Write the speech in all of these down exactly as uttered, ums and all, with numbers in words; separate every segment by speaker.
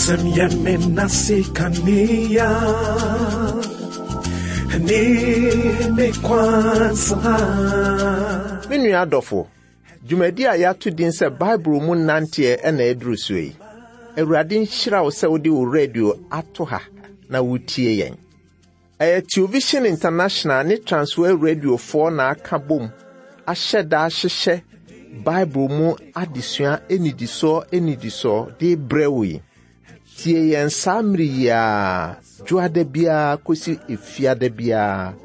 Speaker 1: Wasɛm yɛ me nase kanea ne me kwan so ha.
Speaker 2: Me nua adɔfo, dwumadi a yɛato din sɛ Bible mu nanteɛ ɛna ɛduru so yi. Awurade nhyira wo sɛ wode wo radio ato ha na wotie yɛn. Ɛyɛ Television International ne Transworld Radiofoɔ na aka bom ahyɛ da ahyehyɛ Bible mu adesua enidisoɔ enidisoɔ de brɛ wo yi. Tie yɛn saa mmere yi ara, dwoada biara kɔsi efiada biara,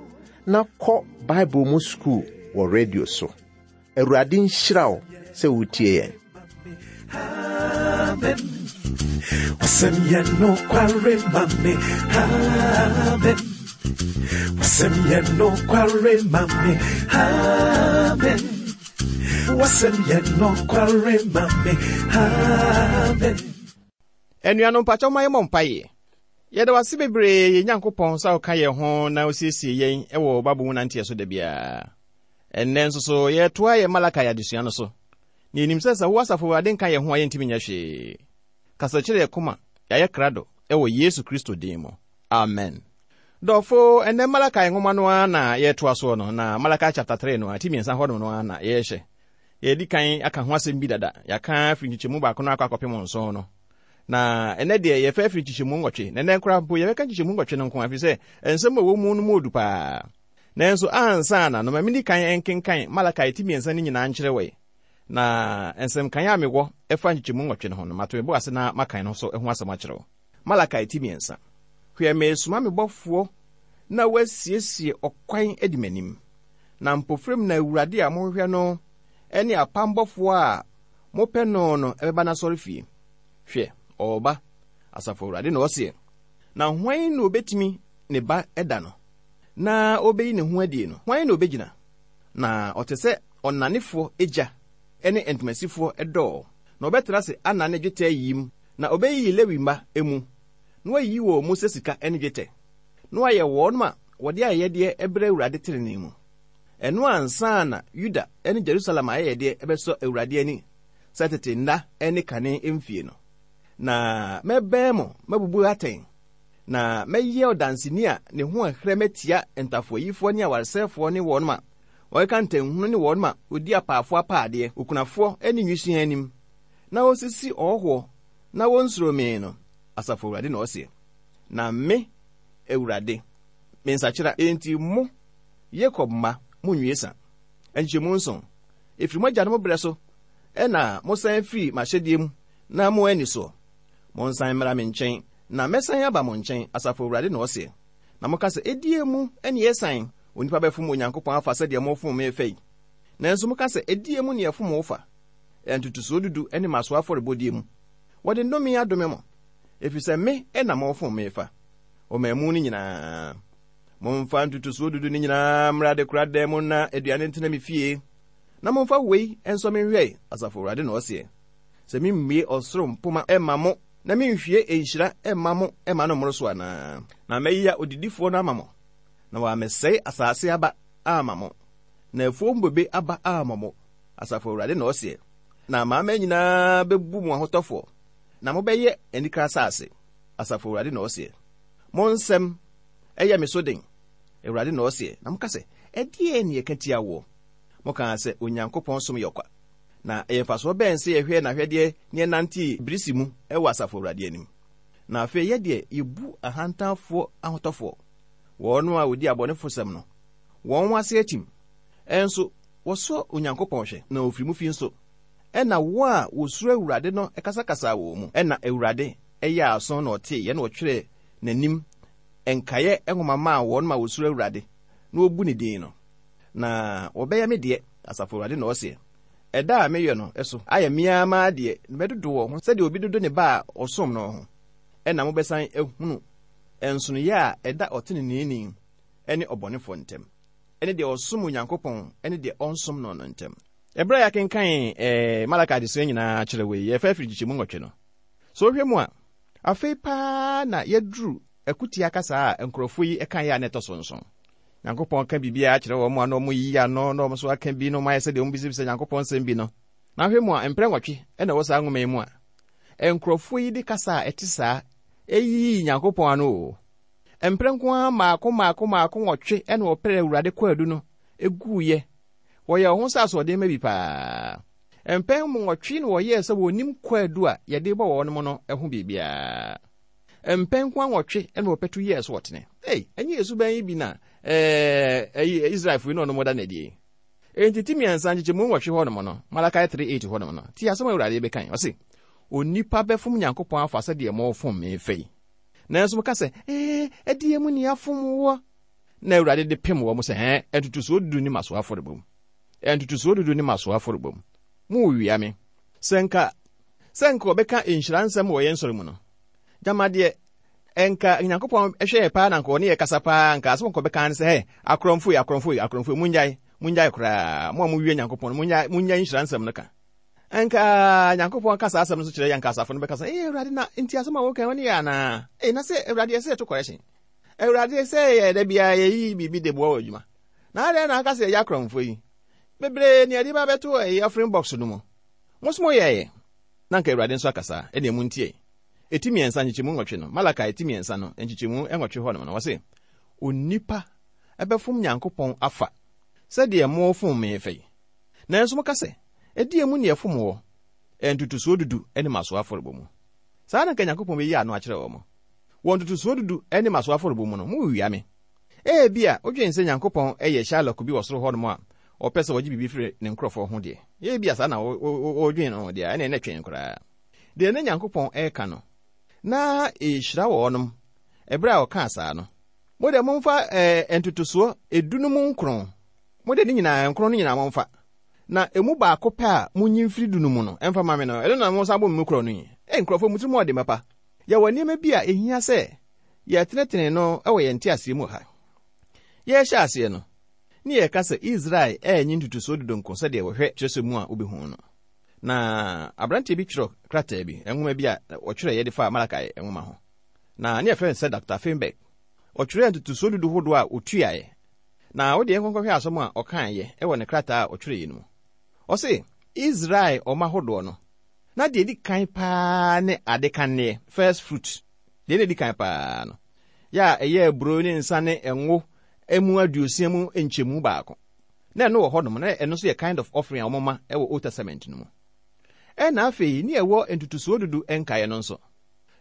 Speaker 2: na kɔ Bible mu sukuu wɔ radio so. Awurade nhyira wo sɛ wotie yɛn.
Speaker 1: Amen. Wasɛm yɛ nokware ma me. Amen. Wasɛm yɛ nokware ma me. Amen. Wasɛm yɛ nokware ma me. Amen.
Speaker 3: Anuanom mpakyɛw ma yɛmmɔ mpaeɛ. Yɛda wase bebree yɛn Nyankopɔn sɛ woka yɛn ho na wosiesie yɛn wɔ Bible mu nanteɛ so da biara. Ɛnnɛ nso so yɛtoa yɛn Malakai adesua no so. Na yɛnim sɛ sɛ wo asafo Awurade nka yɛn ho a yɛntumi nyɛ hwee. Kasa kyerɛ yɛn koma, yɛayɛ krado ɛwɔ Yesu Kristo din mu. Amen. Dɔfo, ɛnnɛ Malakai nwoma no ara na yɛtoa soɔ no, na Malakai chapter three no, ati mmiɛnsa hɔnom no ara na yɛrehyɛ. Yɛdi kan aka ho asɛm bi dada. Yɛaka afiri nkyekyɛmu baako no akɔ akɔpem nson no. Na ɛnɛ deɛ yɛfɛ afiri nkyekyɛmu nwɔtwe. Na ɛnɛ koraa mpo yɛbɛka nkyekyɛmu nwɔtwe no nko afiri sɛ nsɛm a ɛwɔ mu no mu odu paa. Nanso ansa na no ma medi kan nkenkan Malakai ti mmiɛnsa no nyinaa nkyerɛ wɔ yi. Na nsɛmkan a mewɔ ɛfa nkyekyɛmu nwɔtwe no ho no, mato me bo ase na makan no so ho asɛm akyerɛ wo. Malakai ti mmiɛnsa. Hwɛ, meresoma me bɔfoɔ na wasiesie ɔkwan adi m'anim. Na mpofirim na Awurade a mohwehwɛ no ne apam bɔfoɔ a mopɛ no no ɛbɛba n'asɔrefie. Hwɛ, ɔreba, asafo Awurade na ɔseɛ. Na hwan na obetumi ne ba ɛda no? Na obeyi ne ho adie no, hwan na obegyina? Na ɔte sɛ ɔnanefoɔ agya ne ntomasifoɔ dɔɔ. Na ɔbɛtena ase anane dwetɛ yim, na obeyiyi Lewi mma emu, na wayiyi wɔn mu sɛ sika ne dwetɛ. Na wayɛ wɔn a wɔde ayɛyɛdeɛ ɛbrɛ Awurade tenenee mu. Ɛno ansa na Yuda ne Jerusalem ayɛyɛdeɛ ɛbɛsɔ Awurade ani sɛ tete nna ne kane mfie no. Na mɛbɛn mo mabubu atɛn, na mɛyɛ ɔdanseni a ne ho ɛhrɛ mɛtia ntafoayifoɔ ne awaresɛefoɔ ne wɔn a wɔkeka ntanhunu ne wɔn a wɔdi apaafoɔ apaadeɛ, okunafoɔ ne nwisiaa anim, na wɔsisi ɔhɔhoɔ na wɔnsuro me no, asafo Awurade na ɔseɛ. Na me, Awurade, me nsakyera, enti mo, Yakob mma, monnwie sa. Nkyɛmu nson, ɛfiri mo agyanom berɛ so, ɛna mosan firi m'ahyɛdeɛ mu na mo ani soɔ. Monsan mmra me nkyɛn, na mɛsan aba mo nkyɛn, asafo Awurade na ɔseɛ. Na moka sɛ, ɛdie mu ne yɛsan, onipa bɛfom Onyankopɔn afa sɛdeɛ mofom me fɛ yi. Nanso moka sɛ, ɛdie mu ne yɛfom wo fa. Ntotosoɔ dudu ne mmasoɔ afɔrebɔdeɛ mu. Wɔde nnome adome mo, ɛfiri sɛ me na mofom me fa. Ɔman mu no nyinaa. Momfa ntotosoɔ dudu no nyinaa mmra adekoradan mu na aduane ntena me fie. Na momfa wei nso me nhwɛ, asafo Awurade na ɔseɛ. Sɛ memmue ɔsoro mpoma ɛmma mo, na menhwie nhyira ɛmma mo ɛmma no mmoro so anaa? Na mɛyɛ odidifoɔ no ama mo, na wɔamɛsɛe asase aba ama mo, na afuom bobe aba ama mo, asafo Awurade na ɔseɛ. Na amanaman nyinaa bɛbu mo ahotɔfoɔ, na mobɛyɛ anikra asase, asafo Awurade na ɔseɛ. Mo nsɛm ɛyɛ me so den, Awurade na ɔseɛ. Na moka sɛ, ɛdeɛn ne yɛka tia woɔ? Mokaa sɛ Onyankopɔn som yɛ ɔkwa. Na ɛyɛ mfasoɔ bɛn sɛ yɛhwɛ n'ahwɛdeɛ ne yɛnante birisi mu ɛwɔ asafo Awurade anim. Na afei yɛdeɛ yɛbu ahantanfoɔ ahotɔfoɔ, wɔn a wɔdi abɔnefosɛm no, wɔn ase akyim. Ɛnso wɔsɔ Onyankopɔn hwɛ, na ofiri mu fi nso. Ɛna wɔn a wɔsuro Awurade no kasakasa wɔn mu. Ɛna Awurade ɛyɛ aso na ɔtee yɛ na ɔtwerɛ n'anim nkaeɛ nwoma maa wɔn ma wɔsuro Awurade na wɔbu ne din no. Na wɔbɛyɛ me deɛ, asafo Awurade na ɔseɛ. Ɛda a meyɛ no ɛso ayɛ mmea maa deɛ na mɛdodo wɔn ho sɛdeɛ obi dodo ne ba a ɔsom no ho. Ɛna mobɛsan ahunu nsonoeɛ a ɛda ɔteneneeni ne ɔbɔnefoɔ ntam, ɛne deɛ ɔsom Onyankopɔn ne deɛ ɔnsom no no ntam. Ɛberɛ a yɛakenkan ɛɛ Malaki adesua nyinaa kyerɛ wei, yɛfa afiri nkyekyɛmu nwɔtwe no. So wohwɛ mu a, afei paa na yɛduru akutia kasa a nkurɔfoɔ yi ɛka yɛ a na ɛtɔ so nson. Nyankopɔn ka biribiara kyerɛ wɔn a na wɔn yi ano na wɔn nso aka bi na wɔn ayɛ sɛdeɛ wɔn bisabisa Nyankopɔn nsɛm bi no. Na ahwɛ mu a, mprɛ nwɔtwe ɛna ɛwɔ saa nwoma yi mu a, Nkurɔfoɔ yi de kasa a ɛte saa ɛyii Nyankopɔn ano o. Mprɛ nko ara mmaako mmaako mmaako nwɔtwe ɛna wɔpɛrɛ Awurade kwaadu no eguiɛ. Wɔyɛ wɔn ho sɛ asoɔden ma bi paa. Mpɛn nwɔtwe na wɔyɛɛ sɛ wɔnim kwaadu a yɛde bɔ wɔn no ho biribiara. Mpɛn nko ara nwɔtwe ɛna wɔpɛtu yɛɛ so wɔtene. Ei, ɛnyɛ Yesu bɛn yi bi na ɛɛ ɛyi Israelfoɔ yi na ɔnom da n'adie. Enti ti mmiɛnsa nkyekyɛmu nwɔtwe hɔnom no, Malachi three eight hɔnom no, ti asɛm a Awurade bɛkan, ɔse, onipa bɛfom Nyankopɔn afa sɛdeɛ mɔfom me fɛ yi. Nanso moka sɛ, ee, ɛdeɛ mu ni afom wɔ. Na Awurade de pem wɔ mo sɛ, ɛn, ntotosoɔ dudu ne maso afɔrebɔ mu. Ntotosoɔ dudu ne maso afɔrebɔ mu. Mo wia me. Sɛ nka, sɛ nka ɔbɛka nhyira nsɛm wɔ yɛn nsɔre mu no, gyama deɛ, ɛnka Nyankopɔn hwɛ yɛ paa na nka ɔne yɛ kasa paa, nka asɛm nka ɔbɛka ne sɛ, hɛ, akorɔmfo yi, akorɔmfo yi, akorɔmfo yi, mongyae, mongyae koraa, mo a mowie Nyankopɔn, mongyae, mongyae nhyira nsɛm no ka. Ɛnka Nyankopɔn ka saa asɛm no so kyerɛ yɛn, nka asafo no bɛka sɛ, ee, Awurade, na nti asɛm a woka wɔne yɛ anaa? Ee, na sɛ Awurade yɛ sɛ yɛto correction. Awurade sɛ yɛ da biara yɛyi biribi de boa wɔ adwuma. Na adɛn na aka sɛ yɛyɛ akorɔmfo yi? Bebree ne yɛde ba bɛto ɛyɛ offering box no mu. Mo nso moyɛeɛ. Na nka Awurade nso akasa, ɛne mu ntie. Eti mmiɛnsa nkyekyɛmu nwɔtwe no, Malachi eti mmiɛnsa no, nkyekyɛmu nwɔtwe hɔ nom no, wɔse, onipa ɛbɛfom Nyankopɔn afa sɛdeɛ mofom me fɛ yi. Nanso moka sɛ, ɛdeɛ mu ne ɛfom wɔ, ntotosoɔ dudu ne maso afɔrebɔ mu. Saa na nka Nyankopɔn bɛyi ano akyerɛ wɔn. Wɔ ntotosoɔ dudu ne maso afɔrebɔ mu no, mowia me. Ebia, wodwen sɛ Nyankopɔn yɛ Shylock bi wɔ soro hɔ nom a, ɔpɛ sɛ ɔgye biribi firi ne nkurɔfoɔ ho deɛ. Ebia saa na wodwen no deɛ, ɛne ɛnɛ twɛn koraa. Deɛ ne Nyankopɔn ɛreka no, na ɛhyira wɔnom ɛberɛ a ɔkaa saa no. Mo deɛ momfa ɛɛ ntotosoɔ edu no mu nkron. Mo deɛ ne nyinaa nkron no nyinaa momfa. Na emu baako pɛ a monyi mfiri du no mu no, ɛmfa ma me no, ɛno na mo nsa bɔ mu korɔ no yi. Ei, nkurɔfoɔ, mo tirim ɔde mapa. Yɛwɔ nneɛma bi a ehia sɛ yɛtenetene no wɔ yɛn nteaseɛ mu ha. Yɛrehyɛ aseɛ no, ne yɛka sɛ Israel ɛnyi ntotosoɔ dudu nko sɛdeɛ wɔhwɛ kyerɛsɛ mu a wobɛhu no. Na aberanteɛ bi twerɛ krataa bi, nwoma bi a wɔtwerɛ yɛde fa Malachi nwoma ho. Na ne yɛfrɛ no sɛ Doctor Feinberg. Ɔtwerɛ ntotosoɔ dudu hodoɔ a otuaeɛ. Na wode yɛn nkɔnkɔhwɛ asɛm a ɔkaeɛ ɛwɔ ne krataa a ɔtwerɛ yi no mu. Ɔse, Israel ɔma hodoɔ no, na deɛ edi kan paa ne ade kanneɛ, first fruit. Deɛ na edi kan paa no, yɛ a ɛyɛ aburo ne nsa ne ngo emu aduosia mu nkyɛmu baako. Na ɛno wɔ hɔnom, na ɛno nso yɛ kind of offering a wɔma ɛwɔ Old Testament no mu. Ɛna afei, ne ɛwɔ ntotosoɔ dudu nkaeɛ no nso.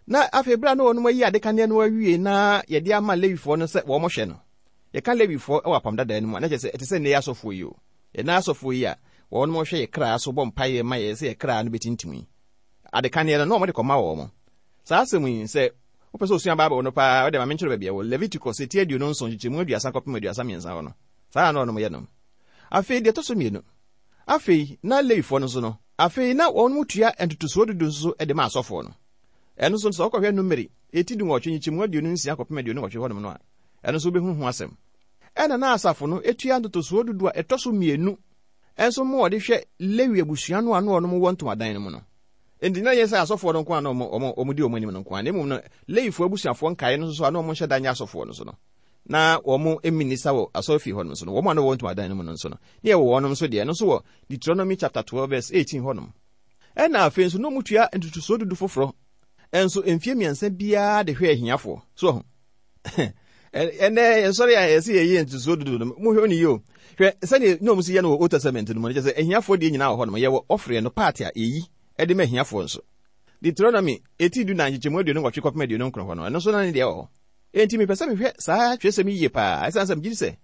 Speaker 3: Na afei berɛ a na wɔnom ayi ade kanneɛ no awie na yɛde ama Lewifoɔ no sɛ wɔn hwɛ no. Yɛka Lewifoɔ ɛwɔ apam dadaa no mu a, na kyerɛ sɛ ɛte sɛ nnɛ asɔfoɔ yi o. Yɛn asɔfoɔ yi a wɔnom hwɛ yɛ kra so bɔ mpaeɛ ma yɛ sɛ yɛ kra no bɛtintim yi. Ade kanneɛ no na wɔde kɔma wɔn. Saa asɛm yi sɛ wopɛ sɛ osua Bible no paa, wode ma menkyerɛ baabi a wɔ Leviticus eti aduonu nson nkyekyɛmu aduasa kɔpem aduasa mmiɛnsa hɔ no. Saa na wɔnom yɛ no. Afei deɛ ɛtɔ so mmienu. Afei na Lewifoɔ no nso no, afei na wɔn mu tua ntotosoɔ dudu nso de ma asɔfoɔ no. Ɛno nso sɛ wokɔhwɛ Numeri eti dunwɔtwe nkyekyɛmu aduonu nsia kɔpem aduonu nwɔtwe hɔnom no a, ɛno nso wobɛhu ho asɛm. Ɛna na asafo no etua ntotosoɔ dudu a ɛtɔ so mmienu ɛnso mo wɔde hwɛ Lewi abusua no a na wɔnom wɔ ntomadan no mu no. Enti na yɛ sɛ asɔfoɔ no nko a na ɔmo ɔmo di ɔmo anim no nko a, na mmom no Lewifoɔ abusuafoɔ nkaeɛ no nso a na ɔmo nhyɛ da nyɛ asɔfoɔ no so no, na wɔn mminisa wɔ asɔrefie hɔ no nso no, wɔn a na wɔwɔ ntomadan no mu no nso no, ne yɛwɔ wɔnom nso deɛ, ɛno nso wɔ Deuteronomy chapter twelve verse eighteen hɔnom. Ɛna afei nso na ɔmo tua ntotosoɔ dudu foforɔ ɛnso mfie mmiɛnsa biara de hwɛ ahiafoɔ. So ɔho ɛnɛ yɛsɔre a yɛsɛ yɛyɛ ntotosoɔ dudu no, mohwɛ ne yie o. Hwɛ sɛdeɛ na ɔmo si yɛ no wɔ Old Testament no mu no, kyerɛ sɛ ahiafoɔ deɛ nyinaa wɔ hɔ nom, yɛwɔ offering no part a yɛyi ɛde ma ahiafoɔ nso. Deuteronomy eti du na nkyekyɛmu aduonu nwɔtwe kɔpem aduonu nkron hɔ no, ɛno nso na ne deɛ wɔ hɔ. Enti mepɛ sɛ mehwɛ saa twerɛsɛm yi yie paa, ɛsiane sɛ megye di sɛ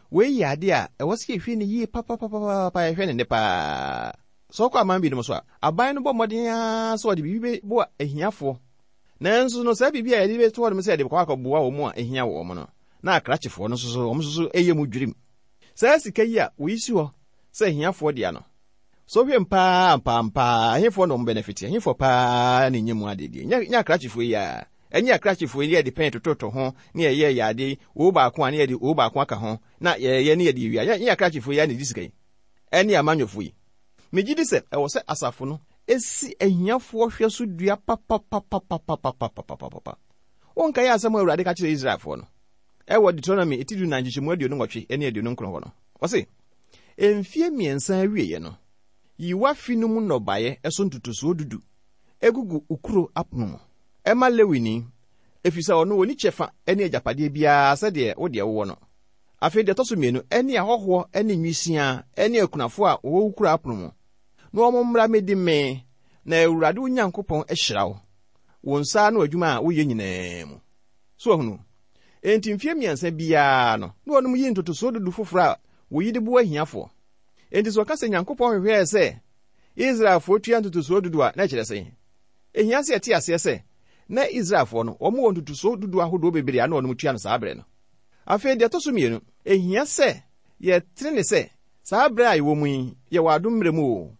Speaker 3: wei yɛ adeɛ a ɛwɔ sɛ yɛhwɛ ne yie papapapapa, yɛhwɛ ne nne paa. Sɛ ɔkɔ aman binom so a, aban no bɔ mmɔden ara sɛ ɔde biribi bɛboa ahiafoɔ. Nanso no saa biribi a yɛde bɛto hɔ nom sɛ yɛde kɔ akɔboa wɔn a ehia wɔn no, na akrakyefoɔ no nso so wɔn nso so ɛyɛ mu dwirim. Saa sika yi a wɔyi si hɔ sɛ ahiafoɔ dea no, so hwɛ mpaa mpaa ahefoɔ na wɔn benefit, ahefoɔ paa na ɛnyɛ mu adeɛ. Nyɛ nyɛ akrakyefoɔ yi a, ɛnyɛ akrakyefoɔ yi yɛde pɛn tototo ho ne yɛyɛ yɛ adeɛ wo baako a ne yɛde wo baako aka ho na yɛyɛ ne yɛde wia. Nyɛ akrakyefoɔ yi a na ɛdi sika yi, ɛne amanyɔfoɔ yi. Megye di sɛ ɛwɔ sɛ asafo no esi ahiafoɔ hwɛ so dua papapapapapapapapapa. Wonkae asɛm a Awurade ka kyerɛ Israelfoɔ no ɛwɔ Deuteronomy eti du nan nkyekyɛmu aduonu nwɔtwe ne aduonu nkron hɔ no. Ɔse, mfie mmiɛnsa awieeɛ no, yi w'afe no mu nnɔbaeɛ ɛso ntotosoɔ dudu egugu ukuro apono mu. Ɛma Lewini, ɛfiri sɛ ɔno ɔni kyɛfa ne agyapadeɛ biara sɛdeɛ wo deɛ wowɔ no. Afei deɛ ɛtɔ so mmienu, ɛne ahɔhoɔ ne nwisiaa ne akunafoɔ a wɔwɔ wo kuro apono mu. Na wɔn mmra mmɛdi mee, na Awurade wo Nyankopɔn ahyira wo, wo nsa ano adwuma a woyɛ nyinaa mu. So ahunu, enti mfeɛ mmiɛnsa biara no, na wɔnom yi ntotosoɔ dudu foforɔ a wɔyi de boa ahiafoɔ. Enti sɛ ɔka sɛ Nyankopɔn hwehwɛɛ sɛ Israelfoɔ tua ntotosoɔ dudu a, na ɛkyerɛ sɛn? Ehia sɛ yɛte aseɛ sɛ, na Israelfoɔ no, wɔn wɔ ntotosoɔ dudu ahodoɔ bebree a na wɔnom tua no saa berɛ no. Afei deɛ ɛtɔ so mmienu, ehia sɛ yɛtene ne sɛ saa berɛ a yɛwɔ mu yi, yɛwɔ adom mmerɛ mu o.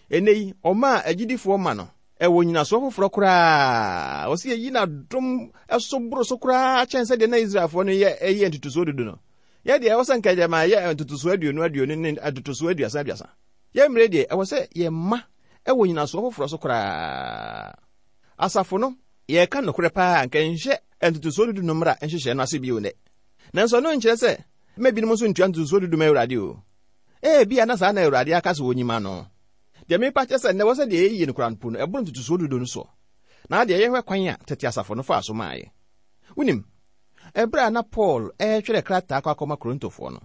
Speaker 3: Ɛnnɛ yi, ɔma a agyidifoɔ ma no, ɛwɔ nyinasoɔ foforɔ koraa. Ɔsɛ yɛyi n'adom ɛso boro so koraa kyɛn sɛdeɛ na Israelfoɔ no yɛ ɛyɛ ntotosoɔ dudu no. Yɛ deɛ ɛwɔ sɛ nka gyama yɛ ntotosoɔ aduonu aduonu ne ntotosoɔ aduasa aduasa. Yɛn mmerɛ deɛ ɛwɔ sɛ yɛma ɛwɔ nyinasoɔ foforɔ so koraa. Asafo no, yɛreka nokorɛ paa nka nhyɛ ntotosoɔ dudu no mmra nhyehyɛ no ase bio nnɛ. Nanso ɛno nkyerɛ sɛ mma binom nso ntua ntotosoɔ dudu ma Awurade o. Ebia na saa na Awurade aka sɛ wɔnyima no. Deɛ mepa kyerɛ sɛ nnɛ wɔ sɛ deɛ yɛyɛ no koraa mpo no, ɛboro ntotosoɔ dudu no soɔ. Na deɛ yɛhwɛ kwan a tete asafo no faa so maaeɛ. Wonim, ɛberɛ a na Paul ɛretwerɛ krataa kɔ akɔma Korintofoɔ no,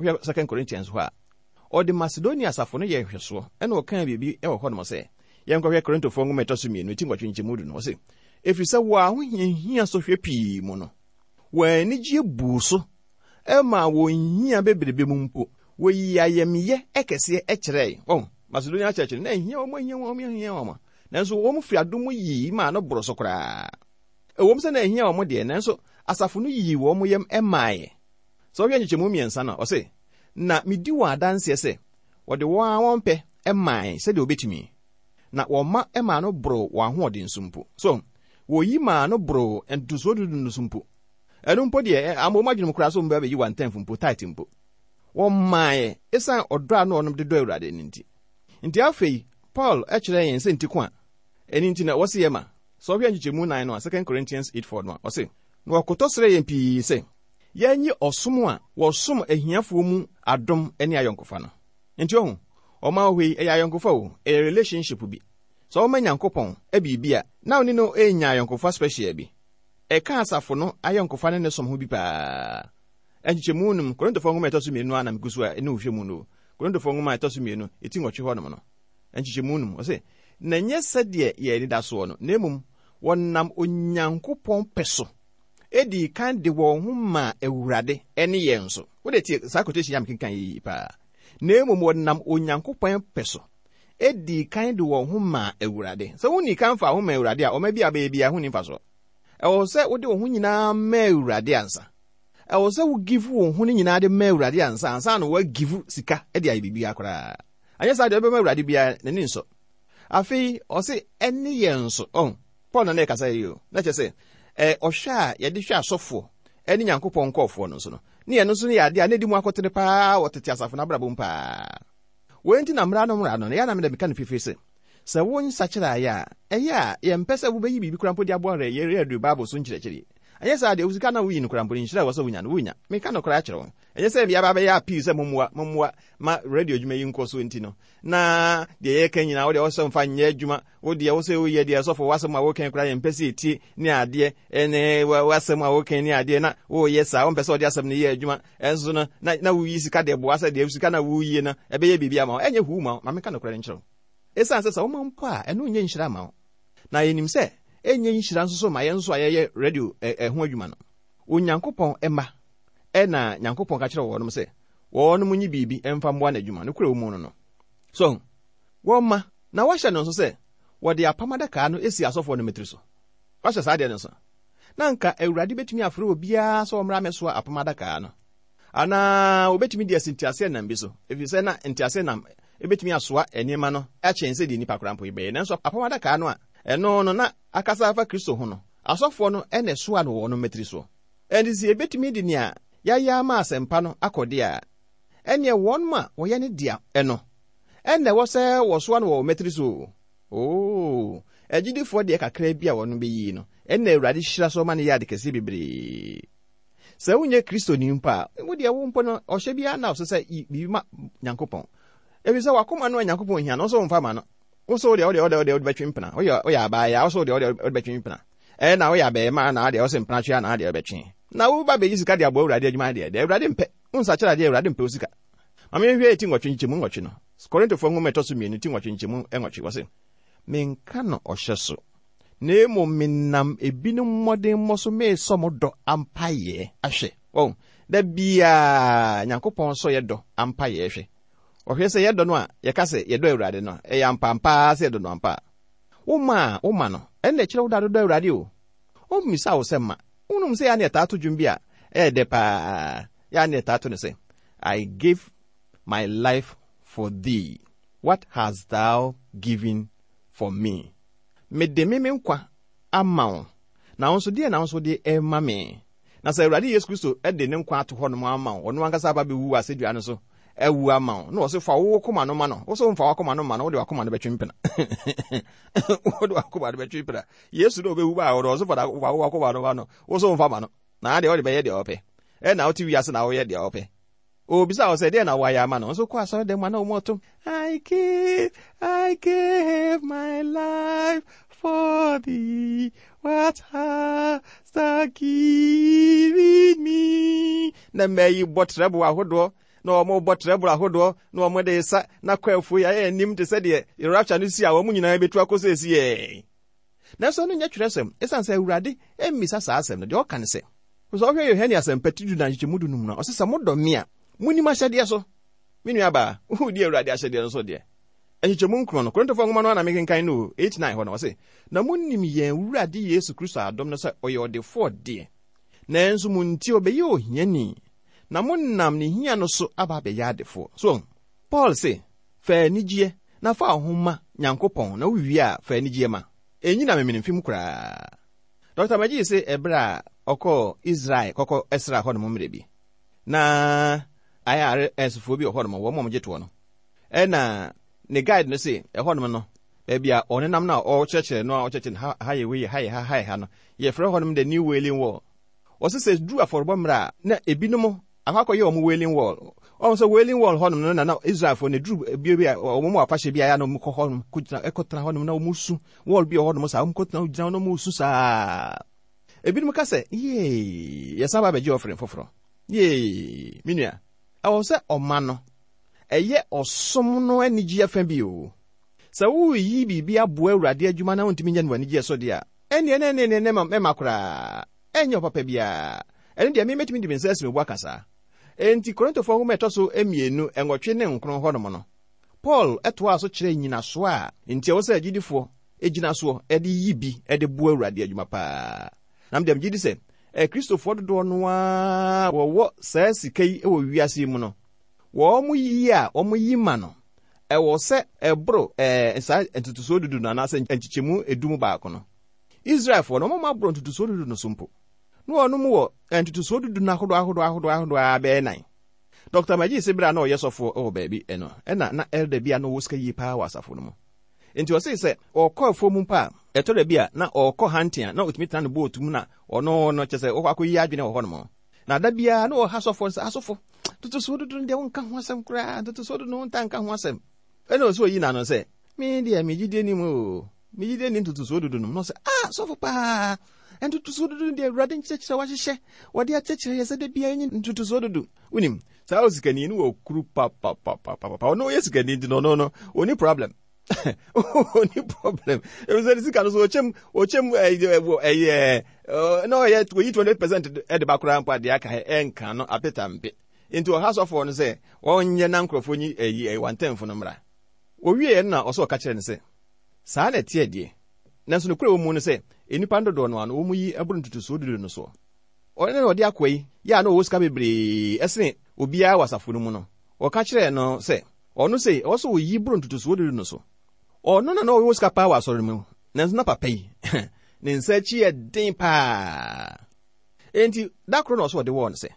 Speaker 3: hwɛ Second Corinthians hɔ a, ɔde Macedonia asafo no yɛ nhwɛsoɔ, ɛna ɔkaa biribi ɛwɔ hɔnom sɛ, yɛnkɔhwɛ Korintofoɔ nwoma ɛtɔ so mmienu, ti nwɔtwe nkyɛmu du no, ɔse, ɛfiri sɛ wɔ ahohiahia sɔhwɛ pii mu no, wɔn anigye buu so ɛma wɔn hia bebrebe mu mpo, wɔyi ayamyɛ ɛkɛseɛ ɛkyerɛe. Ɔn, Macedonia church no, na ɛhia wɔn, ɛhia wɔn, ɛhia wɔn. Nanso wɔn firi adom yii maa no boro so koraa. Ɛwom sɛ na ɛhia wɔn deɛ, nanso asafo no yii wɔn yam ɛmaeɛ. Sɛ wohwɛ nkyekyɛmu mmiɛnsa no, ɔse, na medi wɔn adanseɛ sɛ wɔde wɔn a wɔn pɛ ɛmae sɛdeɛ wɔbɛtumi. Na wɔn ma ɛmaa no boro wɔn ahoɔden so mpo. So, wɔyi maa no boro ntotosoɔ dudu no so mpo. Ɛno mpo deɛ, ama wɔn adwene mu koraa sɛ wɔn bɛyi one tenth mpo, tithe mpo. Wɔmmaeɛ ɛsiane ɔdɔ a na wɔnom de dɔ Awurade no nti. Nti afei, Paul ɛkyerɛ yɛn sɛ nti ko a, ɛno nti na wɔse yɛ ma. Sɛ ɔhwɛ nkyekyɛmu nan no a, Second Corinthians eight four no a, ɔse, na wɔkotɔ srɛ yɛn pii sɛ, yɛnye ɔsom a wɔsom ahiafoɔ mu adom ne ayɔnkofa no. Nti ɔho, ɔma wɔ hɔ yi, ɛyɛ ayɔnkofa o, ɛyɛ relationship bi. Sɛ ɔma Nyankopɔn biribi a, na ɔne no ɛnya ayɔnkofa special bi. Ɛka asafo no ayɔnkofa ne ne som ho bi paa. Nkyekyɛmu num, Korintofoɔ nwoma a ɛtɔ so mmienu a na megu so a ɛne wohwɛ mu no. Korintofoɔ nwoma a ɛtɔ so mmienu, ɛti nwɔtwe hɔnom no. Nkyekyɛmu num, ɔse, na ɛnyɛ sɛdeɛ yɛn ani da soɔ no, na mmom wɔnam Onyankopɔn pɛ so ɛdii kan de wɔn ho maa Awurade ɛne yɛn nso. Wode tie saa quotation yi a mekenkan yi paa. Na mmom wɔnam Onyankopɔn pɛ so ɛdii kan de wɔn ho maa Awurade. Sɛ wonni kan fa ho ma Awurade a, ɔma bi a bɛyɛ biara ho ni mfasoɔ. Ɛwɔ sɛ wode wo ho nyinaa ma Awurade ansa. Ɛwɔ sɛ wo give wo ho no nyinaa de ma Awurade ansa, ansa na woagive sika de ayɛ biribiara koraa. Anyɛ saa deɛ wobɛma Awurade biara n'ani nsɔ. Afei, ɔse ɛne yɛn nso. Ɔn, Paul na na ɛkasa yi o. Na kyerɛ sɛ, ɛ, ɔhwɛ a yɛde hwɛ asɔfoɔ ɛne Nyankopɔn nkɔɔfoɔ no nso no, ne yɛn nso no yɛ adeɛ a na ɛdi mu akɔtene paa wɔ tete asafo no abrabɔ mu paa. Wei nti na mmara no mmara no, na yɛ na mede meka no fifiri sɛ, sɛ wo nsakyerɛ ayɛ a, ɛyɛ a yɛmpɛ sɛ wobɛyi biribi koraa mpo de aboa rɛ yɛ Bible so nkyerɛkyerɛ. Ɛnyɛ saa deɛ, wo sika na woyi no koraa mpo no, nhyira a ɛwɔ sɛ wonya no, wonya. Meka no koraa kyerɛ wo. Ɛnyɛ sɛ yɛaba bɛyɛ appeal sɛ mommoa, mommoa ma radio adwuma yi nkɔ so nti no. Na deɛ yɛka nyinaa, wo deɛ wo sɛ mfa nyɛ adwuma, wo deɛ wo sɛ woyɛ deɛ sɔfo w'asɛm a woka koraa yɛmpɛ sɛ yɛtie ne adeɛ, ɛne w'asɛm a woka ne adeɛ, na woyɛ saa, wompɛ sɛ wɔde asɛm no yɛ adwuma, ɛnso no, na, na woyi sika de boa sɛ deɛ sika na woyie no, ɛbɛyɛ biribi ama wo. Ɛnyɛ huu ma wo, ma meka nokorɛ no nkyerɛ wo. Ɛsiane sɛ sɛ woma mpo a, ɛno nyɛ nhyira ma wo. Na yɛnim sɛ, ɛnyɛ nhyira nso so ma yɛn nso a yɛyɛ radio ɛho adwuma no. Onyankopɔn ɛma, ɛna Nyankopɔn ka kyerɛ wɔnom sɛ, wɔnom nyi biribi ɛmfa mmoa n'adwuma, no kura wɔ mu no no. So, wɔma, na wɔahyɛ no nso sɛ, wɔde apam adaka no esi asɔfoɔ no mmetiri so. Wɔahyɛ saa deɛ no nso. Na nka Awurade bɛtumi afrɛ obiara sɛ ɔmmra mmɛsoa apam adaka no. Anaa wɔbɛtumi de asi nteaseɛnam bi so, ɛfiri sɛ na nteaseɛnam ebɛtumi asoa nneɛma no akyɛn sɛ deɛ nnipa koraa mpo bɛyɛ. Nanso apam adaka no a, ɛno no na akasa afa Kristo ho no, asɔfoɔ no ɛna ɛsoa no wɔ wɔn mmetiri soɔ. Ɛnti sɛ yɛbɛtumi de nea yɛayɛ ama asɛmpa no akɔ deɛ a, ɛneɛ wɔn a wɔyɛ ne dea ɛno, ɛna ɛwɔ sɛ wɔsoa no wɔ wɔn mmetiri so. Oo, agyidifoɔ deɛ kakra bi a wɔn bɛyi no, ɛna Awurade hyira so ma no yɛ ade kɛseɛ bebree. Sɛ wonyɛ Kristoni mpo a, wo deɛ wo mpo no, ɔhyɛ biara na ɔsɛ sɛ yi biribi ma Nyankopɔn. Ɛfiri sɛ wakoma no a Nyankopɔn hia no, ɔsɛ wɔmfa ma no. Wo so deɛ, wodeɛ, wodeɛ, wode bɛtwe mpena. Woyɛ woyɛ abaayɛ, wo so deɛ, wodeɛ, wode bɛtwe mpena. Ɛna woyɛ abɛɛma na adeɛ, wo sɛ mpena twe na adeɛ wobɛtwe. Na wo ba bɛyi sika de aboa Awurade adwuma deɛ, deɛ Awurade mpɛ. Wo nsakyerɛ adeɛ, Awurade mpɛ wo sika. Ma menhwɛ ti nwɔtwe nkyɛmu nwɔtwe no. Korintofoɔ nwoma ɛtɔ so mmienu ti nwɔtwe nkyɛmu nwɔtwe wɔ se, menka no ɔhyɛ so, na mmom menam ebinom mmɔdemmɔ so meesɔ mo dɔ ampayɛ ahwɛ. Wɔn, da biaa Nyankopɔn sɔ yɛ dɔ ampayɛ hwɛ. Ɔhwɛ sɛ yɛdɔ no a, yɛka sɛ yɛdɔ Awurade no, ɛyɛ ampampaa sɛ yɛdɔ no ampa. Woma a, woma no, ɛnna ɛkyerɛ wo da dodɔ Awurade o. Ɔmmisa wo sɛ ma. Wonom sɛ yɛa ne yɛtaa to dwom bi a, ɛyɛ dɛ paa. Yɛa ne yɛtaa to no sɛ, I give my life for thee. What hast thou given for me? Mede me me nkwa ama wo. Na wo nso deɛ na wo nso de ɛma me. Na sɛ Awurade Yesu Kristo de ne nkwa ato hɔ nom ama wo, ɔno ankasa aba bɛwu wɔ asɛdua no so, awu ama wo. Na ɔse fa wo koma no ma no. Wo so mfa w'akoma no ma no, wode w'akoma no bɛtwe mpena. Wode w'akoma no bɛtwe mpena. Yesu na ɔbɛwu baa hɔ no, ɔse fa wo w'akoma no ma no. Wo so mfa ma no. Na adeɛ wode bɛyɛ deɛ ɔpɛ. Ɛna wote wiase na woyɛ deɛ ɔpɛ. Obisa wo sɛ deɛ na woayɛ ama no. Nso kɔ asɔre dɛm a na wɔn ɔtom. I give, I give my life for thee. What hast thou given me? Na mmaa yi bɔ trɛbo ahodoɔ, na wɔn bɔ trɛbo ahodoɔ, na wɔn de sa, na kɔ afuo yi ayɛ anim te sɛ deɛ rapture no si a wɔn nyinaa bɛtu akɔ sɛ esi yɛ. Nanso ɛno nyɛ twerɛsɛm, ɛsiane sɛ Awurade mmisa saa asɛm no, deɛ ɔka ne sɛ, sɛ ɔhwɛ Yohane asɛmpa ti du na nkyekyɛmu du num no, ɔse sɛ modɔ me a, monim ahyɛdeɛ so. Me nua baa, wodi Awurade ahyɛdeɛ no so deɛ. Nkyekyɛmu nkron no, Korintofoɔ nwoma no a na mekenkan no eight nine hɔ no, ɔse, na monim yɛn Awurade Yesu Kristo adom no sɛ ɔyɛ ɔdefoɔ deɛ. Nanso mo nti ɔbɛyɛ ohiani, na monam ne hia no so aba abɛyɛ adefoɔ. So, Paul se, fa anigyeɛ na fa wo ho ma Nyankopɔn, na wowie a, fa anigyeɛ ma. Ɛnyi na memene mfi mu koraa. Doctor Magee se ɛberɛ a ɔkɔɔ Israel kɔkɔ ɛsra hɔ nom mmerɛ bi, na I R S foɔ bi wɔ hɔ nom, wɔn a wɔgye toɔ no. Ɛna ne guide no se, ɛhɔ nom no, baabi a ɔnenam no a ɔkyerɛkyerɛ no a ɔkyerɛkyerɛ no, ha, ha yɛ wei, ha yɛ ha, ha yɛ ha no, yɛfrɛ hɔ nom the New Wailing Wall. Ɔse sɛ duru afɔrebɔ mmerɛ a, na ebinom akɔ akɔyɛ wɔn Wailing Wall. Ɔmo sɛ Wailing Wall hɔ nom no na na Israelfoɔ no duru bia bi a wɔn mu afahyɛ bi a na wɔn kɔ hɔ nom, kɔgyina, ɛkɔtena hɔ nom na wɔn su. Wall bi wɔ hɔ nom saa, wɔn kɔtena gyina hɔ na wɔn su saa. Ebinom ka sɛ, yee, yɛsan ba abɛgye ɔfere foforɔ. Yee, me nua, ɛwɔ sɛ ɔma no, ɛyɛ ɔsom no anigyeɛ fa bi o. Sɛ woreyi biribi aboa Awurade adwuma na wontumi nyɛ no w'anigyeɛ so deɛ a, ɛnneɛ, ɛnneɛ, ɛnneɛ, ɛnneɛ, mɛma koraa. Ɛnyɛ ɔpapa biara. Ɛno deɛ, me mɛtumi de me nsa asi me bo aka saa. Enti Korintofoɔ nwoma ɛtɔ so mmienu, nwɔtwe ne nkron hɔnom no, Paul ɛtoaa so kyerɛ nnyinasoɔ a nti ɛwɔ sɛ agyidifoɔ gyina soɔ ɛde yi bi ɛde boa Awurade adwuma paa. Na mede megye di sɛ, ɛ, Kristofoɔ dodoɔ no ara wɔwɔ saa sika yi wɔ wiase yi mu no, wɔn mo yi a wɔn yi ma no, ɛwɔ sɛ ɛboro, ɛ, saa ntotosoɔ dudu no anaasɛ nkyekyɛmu edu mu baako no. Israelfoɔ no, wɔn aboro ntotosoɔ dudu no so mpo. Na wɔn mu wɔ ntotosoɔ dudu no ahodoɔ ahodoɔ ahodoɔ ahodoɔ a bɛyɛ nan. Doctor Magee se bere a na ɔyɛ sɔfoɔ wɔ baabi ɛno, ɛna na elder bi a na ɔwɔ sika yie paa wɔ asafo no mu. Nti ɔse sɛ ɔkɔ afuo mu mpo a, ɛtɔ da bi a na ɔkɔ hunting a na ɔtumi tena ne boat mu na ɔno no kyerɛ sɛ ɔkɔ akɔyi adwene wɔ hɔnom. Na da biara na ɔha sɔfoɔ no sɛ, asɔfo, ntotosoɔ dudu no deɛ wonka ho asɛm koraa, ntotosoɔ dudu no wonta nka ho asɛm. Ɛna ɔsɛ oyi n'ano sɛ, me deɛ me gyidie nim o, me gyidie nim ntotosoɔ dudu no. Na ɔsɛ, ah, sɔfo paa, ntotosoɔ dudu no deɛ Awurade nkyerɛkyerɛ wahyehyɛ, wɔde akyerɛkyerɛ yɛ sɛ da biara nye ntotosoɔ dudu. Wonim, saa osikani no wɔ kuru papapapapa. Ɔno ɔyɛ sikani nti no, ɔno no, ɔni problem. Ɔni problem. Ebi sɛ ne sika no so ɔkyɛm, ɔkyɛm, ɛyɛ, ɛyɛ, na ɔyɛ, oyi twenty percent ɛde ba koraa mpo adeɛ aka ɛnka no apeta mpe. Nti ɔha sɔfoɔ no sɛ, ɔnyɛ na nkurɔfoɔ nyi, ɛyi, ɛyi, wantɛnfo no mmra. Owie no na ɔsɛ ɔka kyerɛ no sɛ, saa na ɛteɛ deɛ. Nanso nokorɛ wɔ mu no sɛ, nnipa dodoɔ no ano, wɔn yi ɛboro ntotosoɔ dudu no soɔ. Ɔno na ɔde akoa yi, yɛ a na ɔwɔ sika bebree ɛsene obiara wɔ asafo no mu no. Ɔka kyerɛɛ no sɛ, ɔno sɛ, ɔwɔ sɛ ɔyi boro ntotosoɔ dudu no so. Ɔno na na ɔwɔ sika paa wɔ asɔre no mu, nanso na papa yi, ne nsa akyi yɛ den paa. Enti, da koro na ɔsɛ ɔde wɔɔ no sɛ,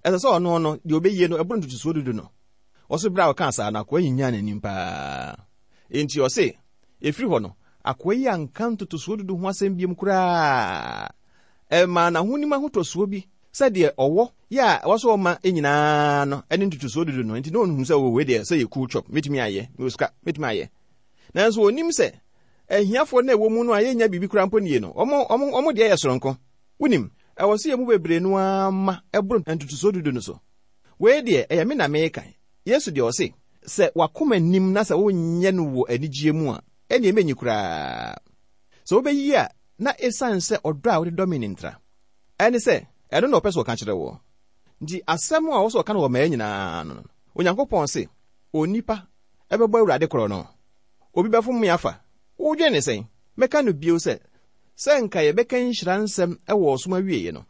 Speaker 3: ɛsɛ sɛ ɔno no, deɛ ɔbɛyie no, ɛboro ntotosoɔ dudu no. Ɔso berɛ a ɔkaa saa no, akoa yi nyaa n'anim paa. Enti ɔse, ɛfiri hɔ no, akoa yi anka ntotosoɔ dudu ho asɛm biom koraa. Ɛmaa n'ahonim ahotɔsoɔ bi sɛdeɛ ɔwɔ yɛ a ɛwɔ sɛ ɔma nyinaa no ɛne ntotosoɔ dudu no. Enti na ɔnhu sɛ, oh, wei deɛ sɛ yɛ cool chop, mɛtumi ayɛ, mewɔ sika, mɛtumi ayɛ. Nanso onim sɛ ahiafoɔ na ɛwɔ mu no a yɛnya biribi koraa mpo nie no, ɔmo ɔmo ɔmo deɛ yɛ soronko. Wonim, ɛwɔ sɛ yɛn mu bebree no ara ma ɛboro ntotosoɔ dudu no so. Wei deɛ, ɛyɛ me na meka. Yesu deɛ ɔse, sɛ wakoma nim na sɛ wonyɛ no wɔ anigyeɛ mu a, ɛnneɛ mɛnyi koraa. Sɛ wobɛyi a, na ɛsiane sɛ ɔdɔ a wode dɔ me ne ntra. Ɛne sɛ, ɛno na ɔpɛ sɛ ɔka kyerɛ wɔ. Nti asɛm a ɔwɔ sɛ ɔka no wɔ mmaa nyinaa no, Onyankopɔn se, onipa ɛbɛbɔ Awurade korɔ no. Obi bɛfom me afa. Wodwene ne sɛn? Mɛka no bio sɛ, sɛ nka yɛbɛka nhyira nsɛm ɛwɔ ɔsom awieeɛ no,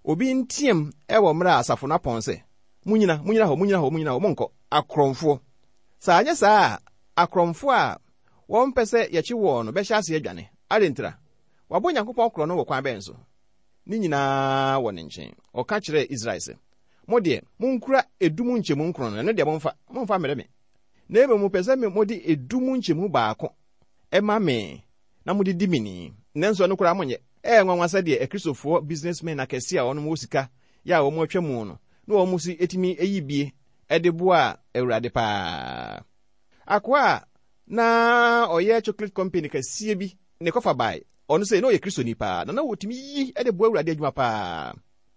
Speaker 3: obi nteam ɛwɔ mmerɛ a asafo no apɔn sɛ, munyina, munyina hɔ, munyina hɔ, munyina hɔ, monkɔ. Akorɔmfoɔ. Sɛ anyɛ saa a, akorɔmfoɔ a wɔmpɛ sɛ yɛkye wɔn no bɛhyɛ ase adwane. Ade ntira. Wabɔ Nyankopɔn korɔ no wɔ kwan bɛn so? Ne nyinaa wɔ ne nkyɛn. Ɔka kyerɛɛ Israel sɛ, mo deɛ, monkura edu mu nkyɛmu nkron no, ɛno deɛ momfa, momfa mmerɛ me. Na mmom mopɛ sɛ mode edu mu nkyɛmu baako ɛma me na mode di me ni. Nanso ɛno koraa monyɛ. Ɛyɛ nwanwa sɛdeɛ Akristofoɔ businessmen akɛse a wɔnom wɔ sika yɛ a wɔn atwa mu no, na wɔn si etumi eyi bie ɛde boa Awurade paa. Akoa a na ɔyɛ chocolate company kɛseɛ bi ne kɔfa bae, ɔno sɛ na ɔyɛ Kristoni paa, na na wɔtumi yi ɛde boa Awurade adwuma paa.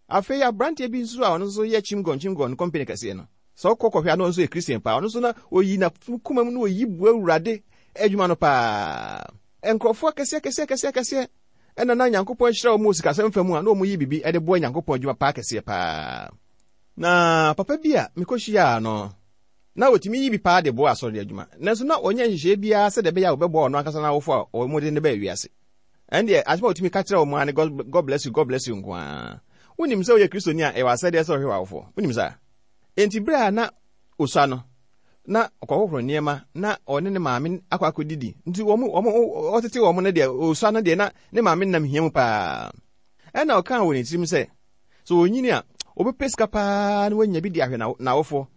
Speaker 3: Afei aberanteɛ bi nso a ɔno nso yɛ chimgon chimgon company kɛseɛ no, sɛ ɔkɔ kɔhwɛ a na ɔno nso yɛ Christian paa, ɔno nso na oyi na kuma mu na oyi boa Awurade adwuma no paa. Nkurɔfoɔ akɛseɛ akɛseɛ akɛseɛ akɛseɛ ɛna na Nyankopɔn ahyira wɔn wɔ sikasɛm fa mu a na wɔn yi biribi ɛde boa Nyankopɔn adwuma paa kɛseɛ paa. Na papa bi a mekɔhyiaa no, na otumi yi bi paa de boa asɔre adwuma. Nanso na ɔnyɛ nhyehyɛe biara sɛdeɛ ɛbɛyɛ a wɔbɛboa ɔno ankasa n'awofo a wɔde ne baa wiase. Ɛndeɛ asɛm a otumi ka kyerɛ wɔn ara ne God bless you, God bless you nko ara. Wonim sɛ woyɛ Kristoni a ɛwɔ asɛdeɛ sɛ ɔhwɛ w'awofoɔ. Wonim saa? Enti bere a na osua no, na ɔkɔhohoro nneɛma na ɔne ne maame akɔ akɔdidi. Nti wɔn wɔn ɔtete wɔn no deɛ osua no deɛ na ne maame nam hia mu paa. Ɛna ɔkaa wɔ ne tirim sɛ, sɛ onyini a, ɔbɛpɛ sika paa na wanya bi de ahwɛ n'awofoɔ.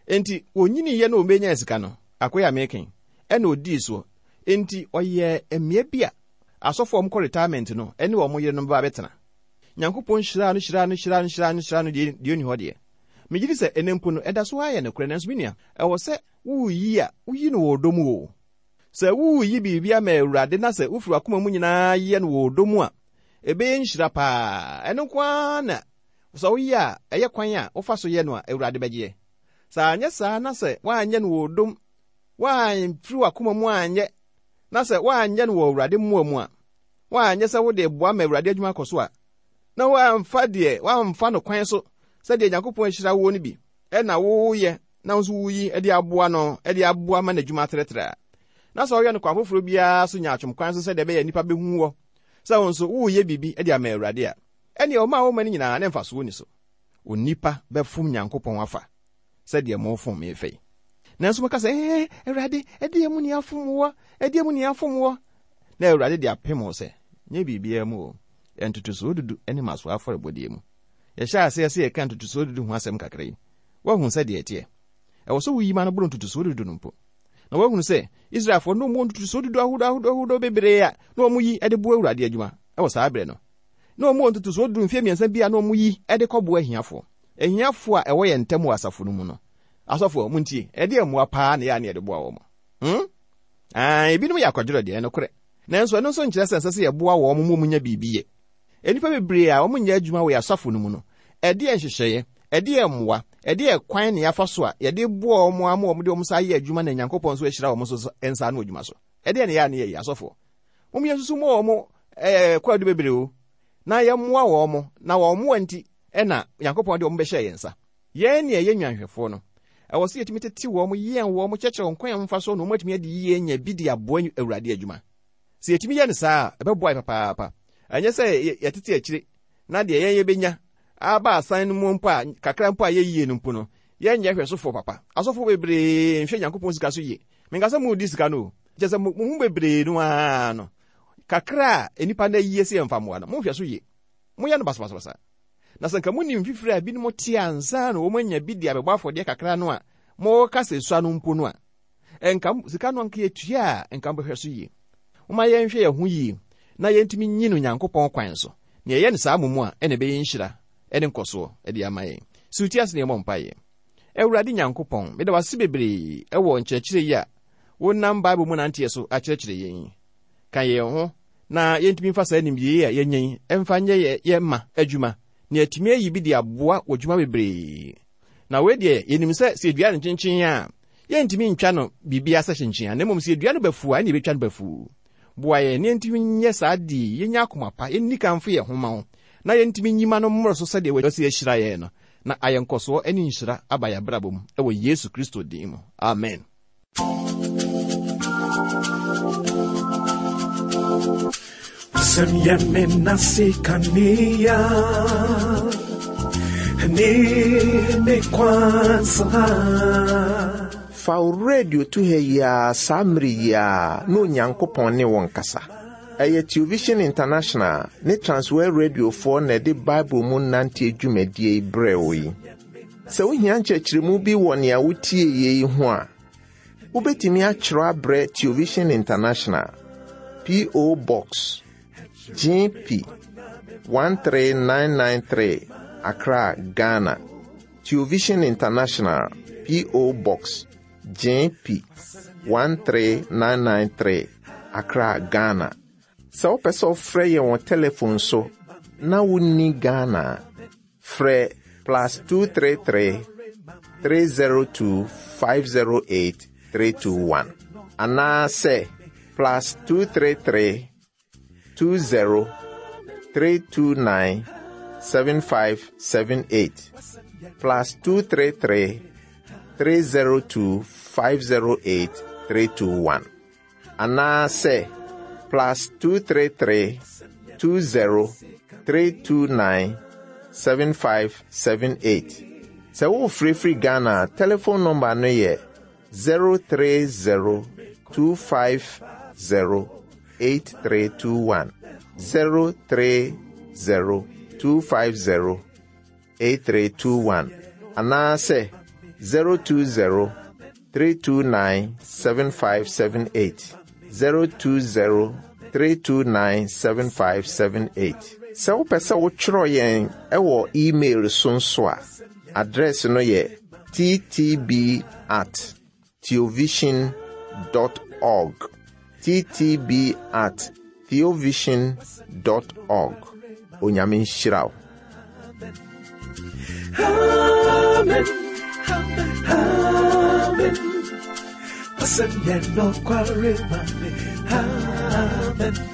Speaker 3: Enti onyini yɛ na ɔbɛnya sika no, akoyɛ a meken, ɛna odii soɔ. Enti ɔyɛ mmea bi a asɔfoɔ a wɔkɔ retirement no ɛne wɔn yerenom ba bɛtena. Nyankopɔn hyiraa no hyiraa no hyiraa no hyiraa no hyiraa no deɛ deɛ onni hɔ deɛ. Megye di sɛ ɛnɛ mpo no ɛda so ara yɛ nokorɛ, nanso me nua, ɛwɔ sɛ woreyi a woyi no wɔ ɔdɔ mu o. Sɛ woreyi biribi ama Awurade na sɛ wofiri w'akoma mu nyinaa yɛ no wɔ ɔdɔ mu a, ɛbɛyɛ nhyira paa. Ɛno nko ara na sɛ woyɛ a ɛyɛ kwan a wofa so yɛ no a Awurade bɛgyeɛ. Sɛ anyɛ saa na sɛ woanyɛ no wɔ ɔdɔ mu, woamfiri w'akoma mu anyɛ, na sɛ woanyɛ no wɔ Awurade mmoa mu a, woanyɛ sɛ wode boa ma Awurade adwuma akɔ so a, na woamfa deɛ woamfa no kwan so sɛdeɛ Nyankopɔn ahyira wo no bi ɛna woyɛ na wo nso woyi de aboa no de aboa ma n'adwuma atrɛtrɛ a, na sɛ ɔyɛ no kwan foforɔ biara so nya atwom kwan so sɛdeɛ ɛbɛyɛ nnipa bɛhu wɔ sɛ wo nso woyɛ biribi de ama Awurade a, ɛneɛ ɔma a woma no nyinaa ne mfasoɔ ni so. Onipa bɛfom Nyankopɔn afa sɛdeɛ mofom me fɛ yi. Nanso moka sɛ, ɛɛ Awurade, ɛdeɛ mu ne afom wɔ, ɛdeɛ mu ne afom wɔ. Na Awurade de apem wo sɛ, nyɛ biribiara mu o, ntotosoɔ dudu ne mmasoɔ afɔrebɔdeɛ mu. Yɛhyɛ aseɛ sɛ yɛka ntotosoɔ dudu ho asɛm kakra yi. Woahu sɛdeɛ ɛteɛ. Ɛwɔ sɛ woyi ma no boro ntotosoɔ dudu no mpo. Na woahunu sɛ Israelfoɔ no wɔn ntotosoɔ dudu ahodoɔ ahodoɔ ahodoɔ bebree a na wɔn yi de boa Awurade adwuma ɛwɔ saa berɛ no. Na wɔn wɔ ntotosoɔ dudu mfeɛ mmiɛnsa bi a na wɔn yi de kɔboa ahiafoɔ. Ahiafoɔ a ɛwɔ yɛn ntam wɔ asafo no mu no. Asɔfoɔ, montie, ɛdeɛ mmoa paa na yɛ a na yɛde boa wɔn. Hmm? Ah, ebinom yɛ akɔdwerɛ deɛ, ɛnokorɛ. Nanso ɛno nso nkyerɛ sɛ ɛsɛ sɛ yɛboa wɔn ma wɔn nya biribi yɛ. Nnipa bebree a wɔn nyɛ adwuma wɔ yɛn asafo no mu no, ɛdeɛ nhyehyɛeɛ, ɛdeɛ mmoa, ɛdeɛ kwan na yɛafa so a yɛde boa wɔn ama wɔn de wɔn nsa ayɛ adwuma na Nyankopɔn nso ahyira wɔn nso nsa ano adwuma so. Ɛdeɛ na yɛ a na yɛyɛ asɔfoɔ. Mom yɛn nso mu wɔn ɛɛ kwaadu bebree o, na yɛmmoa wɔn na wɔn mmoa nti ɛna Nyankopɔn de wɔn bɛhyɛ yɛn nsa. Yɛn ne ɛyɛ nwanhwɛfoɔ no, ɛwɔ sɛ yɛtumi tete wɔn, yɛn wɔn, kyerɛkyerɛ wɔn kwan a wɔmfa so na wɔn atumi adi yie anya bi de aboa Awurade adwuma. Sɛ yɛtumi yɛ no saa a, ɛbɛboa yɛ papaapa. Ɛnyɛ sɛ yɛtete akyire na deɛ yɛn yɛbɛnya aba asan no mu mpo a kakra mpo a yɛyie no mpo no, yɛnyɛ hwɛsofoɔ papa. Asɔfoɔ bebree nhwɛ Nyankopɔn sika so yie. Menka sɛ mo di sika no o. Kyerɛ sɛ mo ho bebree no ara no, kakra a nnipa no ayie sɛ yɛmfa mmoa no, monhwɛ so yie. Moyɛ no basabasabasa. Na sɛ nka monim mfifiri a binom te ansa na wɔn anya bi de abɛbɔ afɔdeɛ kakra no a, moka sɛ sua no mpo no a, nka sika no anka yɛtua a, nka mobɛhwɛ so yie. Momma yɛnhwɛ yɛn ho yie na yɛntumi nyi no Nyankopɔn kwan so. Nea ɛyɛ no saa mo a, ɛna ɛbɛyɛ nhyira ɛne nkɔsoɔ ɛde ama yɛn. Si wo ti ase na yɛmmɔ mpaeɛ. Awurade Nyankopɔn, meda wo ase bebree ɛwɔ nkyerɛkyerɛ yi a Wonam Bible mu nanteɛ so akyerɛkyerɛ yɛn. Ka yɛn ho na yɛntumi mfa saa nimdeɛ a yɛanya yi ɛmfa nyɛ yɛ yɛ ma adwuma na yɛatumi ayi bi de aboa wɔ dwuma bebree. Na wei deɛ, yɛnim sɛ sɛ yɛdua no nkyenkyen a, yɛntumi ntwa no biribiara sɛ kyenkyen a, na mmom sɛ yɛdua no bafuu a, ɛne yɛbɛtwa no bafuu. Boa yɛn na yɛntumi nyɛ saa de yɛnya akoma pa, yɛnni kamfo yɛn ho ma wo, na yɛntumi nyima no mmoro so sɛdeɛ wɔasi ahyira yɛn no, na ayɛ nkɔsoɔ ne nhyira aba yɛn abrabɔ mu ɛwɔ Yesu Kristo din mu. Amen.
Speaker 1: Wasɛm yɛ me nase kanea ne me kwansa.
Speaker 2: Fa wo radio to ha yi ara saa mmere yi ara na Onyankopɔn ne wo nkasa. Ɛyɛ Television International ne Transworld Radiofoɔ na ɛde Bible mu nanteɛ dwumadie yi brɛɛ wo yi. Sɛ wohia nkyerɛkyerɛmu bi wɔ nea wotie yi ho a, wobɛtumi atwerɛ abrɛ Television International, P O. Box G P one three nine nine three, Accra, Ghana. Television International, P O. Box G P one three nine nine three, Accra, Ghana. Sɛ wopɛ sɛ wofrɛ yɛn wɔ telephone so na wonni Ghana a, frɛ plus two three three, three zero two, five zero eight three two one anaasɛ plus two three three, two zero, three two nine, seven five seven eight, plus two three three, three zero two, five zero eight three two one anaasɛ plus two three three, two zero, three two nine, seven five seven eight. Sɛ wofirifiri Ghana a, telephone number no yɛ zero three zero, two five zero, eight three two one, zero three zero, two five zero, eight three two one anaasɛ zero two zero, three two nine, seven five seven eight, zero two zero, three two nine, seven five seven eight. Sɛ wopɛ sɛ wotwerɛ yɛn ɛwɔ email so nso a, address no yɛ T T B at theovision dot org, T T B at theovision dot org. Onyame nhyira wo.
Speaker 1: Amen. Amen. Wasɛm yɛ nokware ma me. Amen.